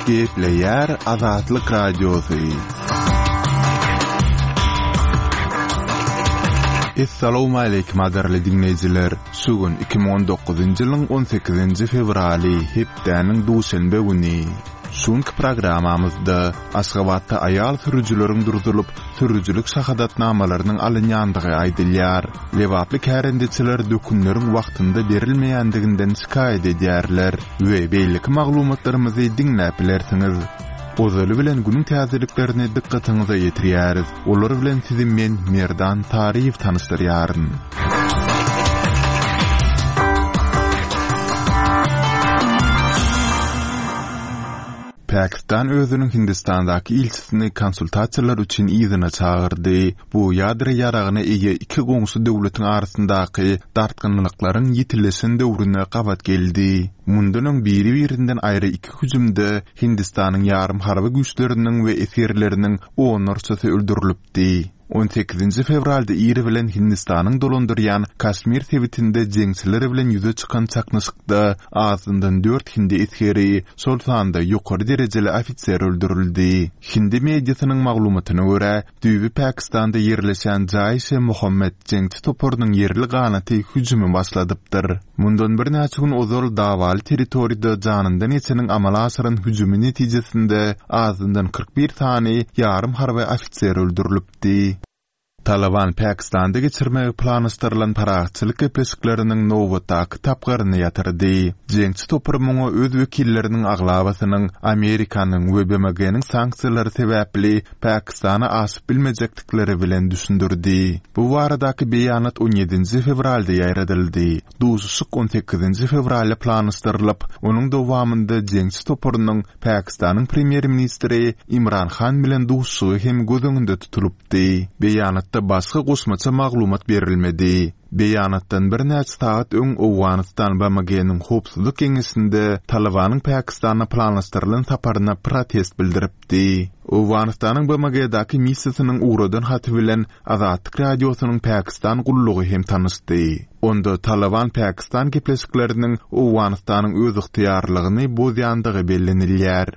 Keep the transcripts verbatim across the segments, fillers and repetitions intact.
Gepleýär Azatlyk Radiosy. Essalawmaleýkim gadyrly diňleýjiler! Şu gün iki müň on dokuzynjy ýylyň on sekizinji fewraly, hepdäniň duşenbe güni. Şu günki programmamyzda Aşgabatda aýal sürüjileriň durzulyp, sürüjilik şahadatnamalarynyň alynýandygy aýdylýar. Lebaply kärendeçiler dökünleriň wagtynda berilmeýändiginden şikaýat edýärler we beýleki maglumatlarymyzy diňläp bilersiňiz. Ozaly bilen günüň täzeliklerini dykgatyňyza ýetirýäris. Olar bilen sizi men, Merdan Taryýew tanyşdyrýaryn. Pakistan özüniň Hindistandaky ilçisini konsultasiýalar üçin yzyna çagyrdy. Bu ýadro ýaragyna eýe iki goňşy döwletiň arasyndaky dartgynlyklaryň ýitileşen döwrüne gabat geldi. Mundan öň biri-birinden aýry iki hüjümde Hindistanyň ýarym harby güýçleriniň we esgerleriniň onlarçasy öldürilipdi. On sekizinji fewralda ir bilen Hindistanyň dolandyrýan Kaşmir sebitinde jeňçiler bilen ýüze çykan çaknyşykda azyndan dört hindi esgeri, şol sanda ýokary derejeli ofiser öldürildi. Hindi mediasynyň maglumatyna görä, düýbi Pakistanda ýerleşen Jaiş-e-Muhammed jeňçi toparynyň ýerli ganaty hüjümi başladypdyr. Mundan birnäçe gün ozal dawaly territoriýada janyndan geçeniň amala aşyran hüjümi netijesinde azyndan kyrk bir sany ýarym harby ofiser öldürilipdi. Taliban Pakistanda geçirmegi planlaşdyrylan parahatçylyk gepleşikleriniň nobatdaky tapgyryny ýatyrdy. Jeňçi topar muňa öz wekilleriniň aglabasynyň Amerikanyň we B M G-niň sanksiýalary sebäpli Pakistana aşyp bilmejekdikleri bilen düşündirdi. Bu baradaky beýanat on ýedinji fewralda ýaýradyldy. Duşuşyk on sekizinji fewralda planlaşdyrylyp, onuň dowamynda jeňçi toparynyň Pakistanyň premýer-ministri Imran Han bilen duşuşygy hem göz öňünde tutulypdy. Beýanatda başga goşmaça maglumat berilmedi. Beýanatdan birnäçe sagat öň Owganystan B M G-niň Howpsuzlyk Geňeşinde Talibanyň Pakistana planlaşdyrylan saparyna protest bildiripdi. Owganystanyň B M G-däki missiýasynyň ugradan haty bilen Azatlyk Radiosynyň Pakistan gullugy hem tanyşdy. Onda Taliban Pakistan gepleşikleriniň Owganystanyň öz ygtyýarlygyny bozýandygy bellenilýär.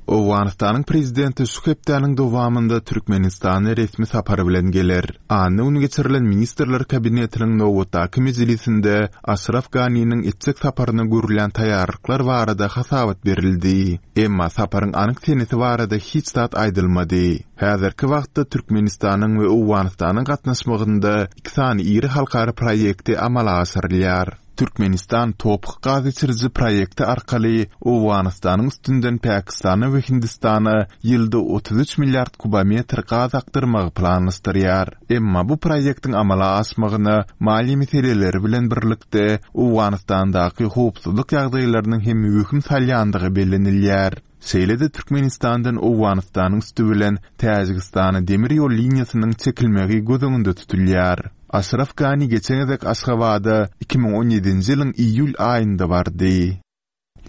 Owganystanyň prezidenti şu hepdäniň dowamynda Türkmenistana resmi sapar bilen geler. Anna güni geçirilen Ministrler Kabinetiniň nobatdaky mejlisinde Aşraf Ganiniň etjek saparyna görülýän taýýarlyklar barada hasabat berildi. Emma saparyň anyk senesi barada hiç zat aýdylmady. Häzirki wagtda Türkmenistanyň we Owganystanyň gatnaşmagynda iki sany iri halkara proýekti amala aşyrylýar. Türkmenistan topuk gaz geçiriji proýekti arkaly Owganystanyň üstünden Pakistana we Hindistana ýylda otuz üç milliard kubometr gaz akdyrmagy planlaşdyrýar. Emma bu proýektiň amala aşmagyna maliýe meseleleri bilen birlikde Owganystandaky howpsuzlyk ýagdaýlarynyň hem möhüm salýandygy bellenilýär. Şeýle-de Türkmenistandan Owganystanyň üstü bilen Täjigistana demir ýol liniýasynyň çekilmegi göz öňünde tutulýar. Aşraf Gani geçen gezek Aşgabada iki müň on ýedinji ýylyň iýul aýynda bardy.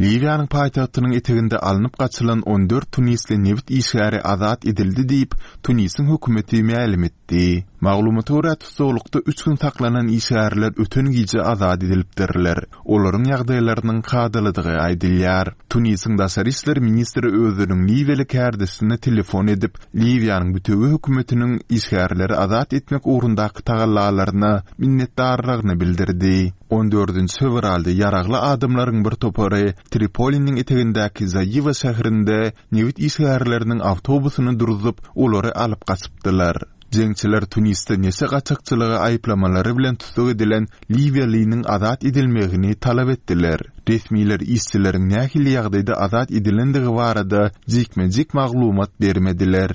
Liwiýanyň paýtagtynyň eteginde alnyp gaçylan on dört tunisli nebit işgäri azat edildi diýip, Tunisiň hökümeti mälim etdi. Maglumata görä, tussaglykda üç gün saklanan işgärler öten gije azat edilipdirler. Olaryň ýagdaýlarynyň kadalydygy aýdylýar. Tunisiň daşary işler ministri özüniň Liwiýaly kärdeşine telefon edip, Liwiýanyň bütewi hökümetiniň işgärleri azat etmek ugrundaky tagallalaryna minnetdarlygyny bildirdi. On dördünji fewralda ýaragly adamlaryň bir topary Tripoliniň etegindäki Zaýewa şäherinde nebit işgärleriniň awtobusyny durzup, olary alyp gaçypdylar. Jeňçiler Tunisde neşe gaçakçylygy aýyplamalary bilen tussag edilen Liwiýalynyň azat edilmegini talap etdiler. Resmiler işçileriň nähili ýagdaýda azat edilendigi barada jikme-jik maglumat bermediler.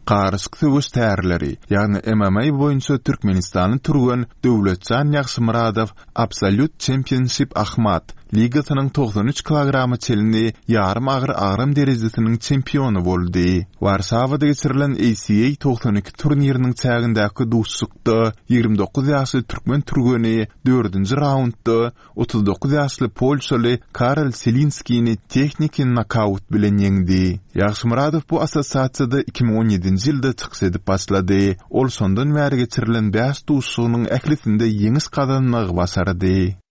Garyşyk söweş tärleri, ýagny M M A boýunça Türkmenistanyň türgen Döwletjan Ýagşymyradow Absolute Championship Ahmad ligasynyň togsan üç kilograma çenli ýarym agyr agram derejesiniň çempiony boldy. Warşawada geçirilen A C A togsan iki turniriniň çägindäki duşuşykda ýigrimi dokuz ýaşly türkmen türgeni dördünji raundda otuz dokuz ýaşly polşaly Karol Selinskini tehniki nokaut bilen ýeňdi. Ýagşymyradow bu assosiasiýada iki müň on ýedinji ýylda çykyş edip başlady. Ol şondan bäri geçirilen bäş duşuşygynyň ählisinde ýeňiş gazanmagy başardy.